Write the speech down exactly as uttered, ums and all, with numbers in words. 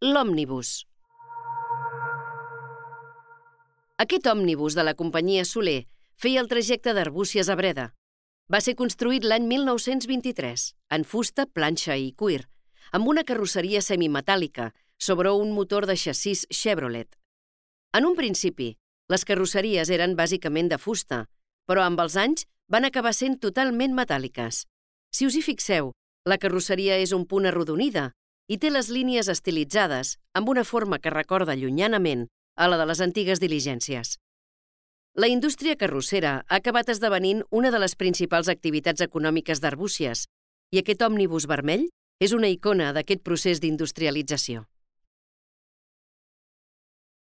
L'òmnibus. Aquest òmnibus de la companyia Soler feia el trajecte d'Arbúcies a Breda. Va ser construït l'any mil nou-cents vint-i-tres, en fusta, planxa i cuir, amb una carrosseria semimetàl·lica sobre un motor de xassís Chevrolet. En un principi, les carrosseries eren bàsicament de fusta, però amb els anys van acabar sent totalment metàl·liques. Si us hi fixeu, la carrosseria és un punt arrodonida i té les línies estilitzades amb una forma que recorda llunyanament a la de les antigues diligències. La indústria carrossera ha acabat esdevenint una de les principals activitats econòmiques d'Arbúcies i aquest òmnibus vermell és una icona d'aquest procés d'industrialització.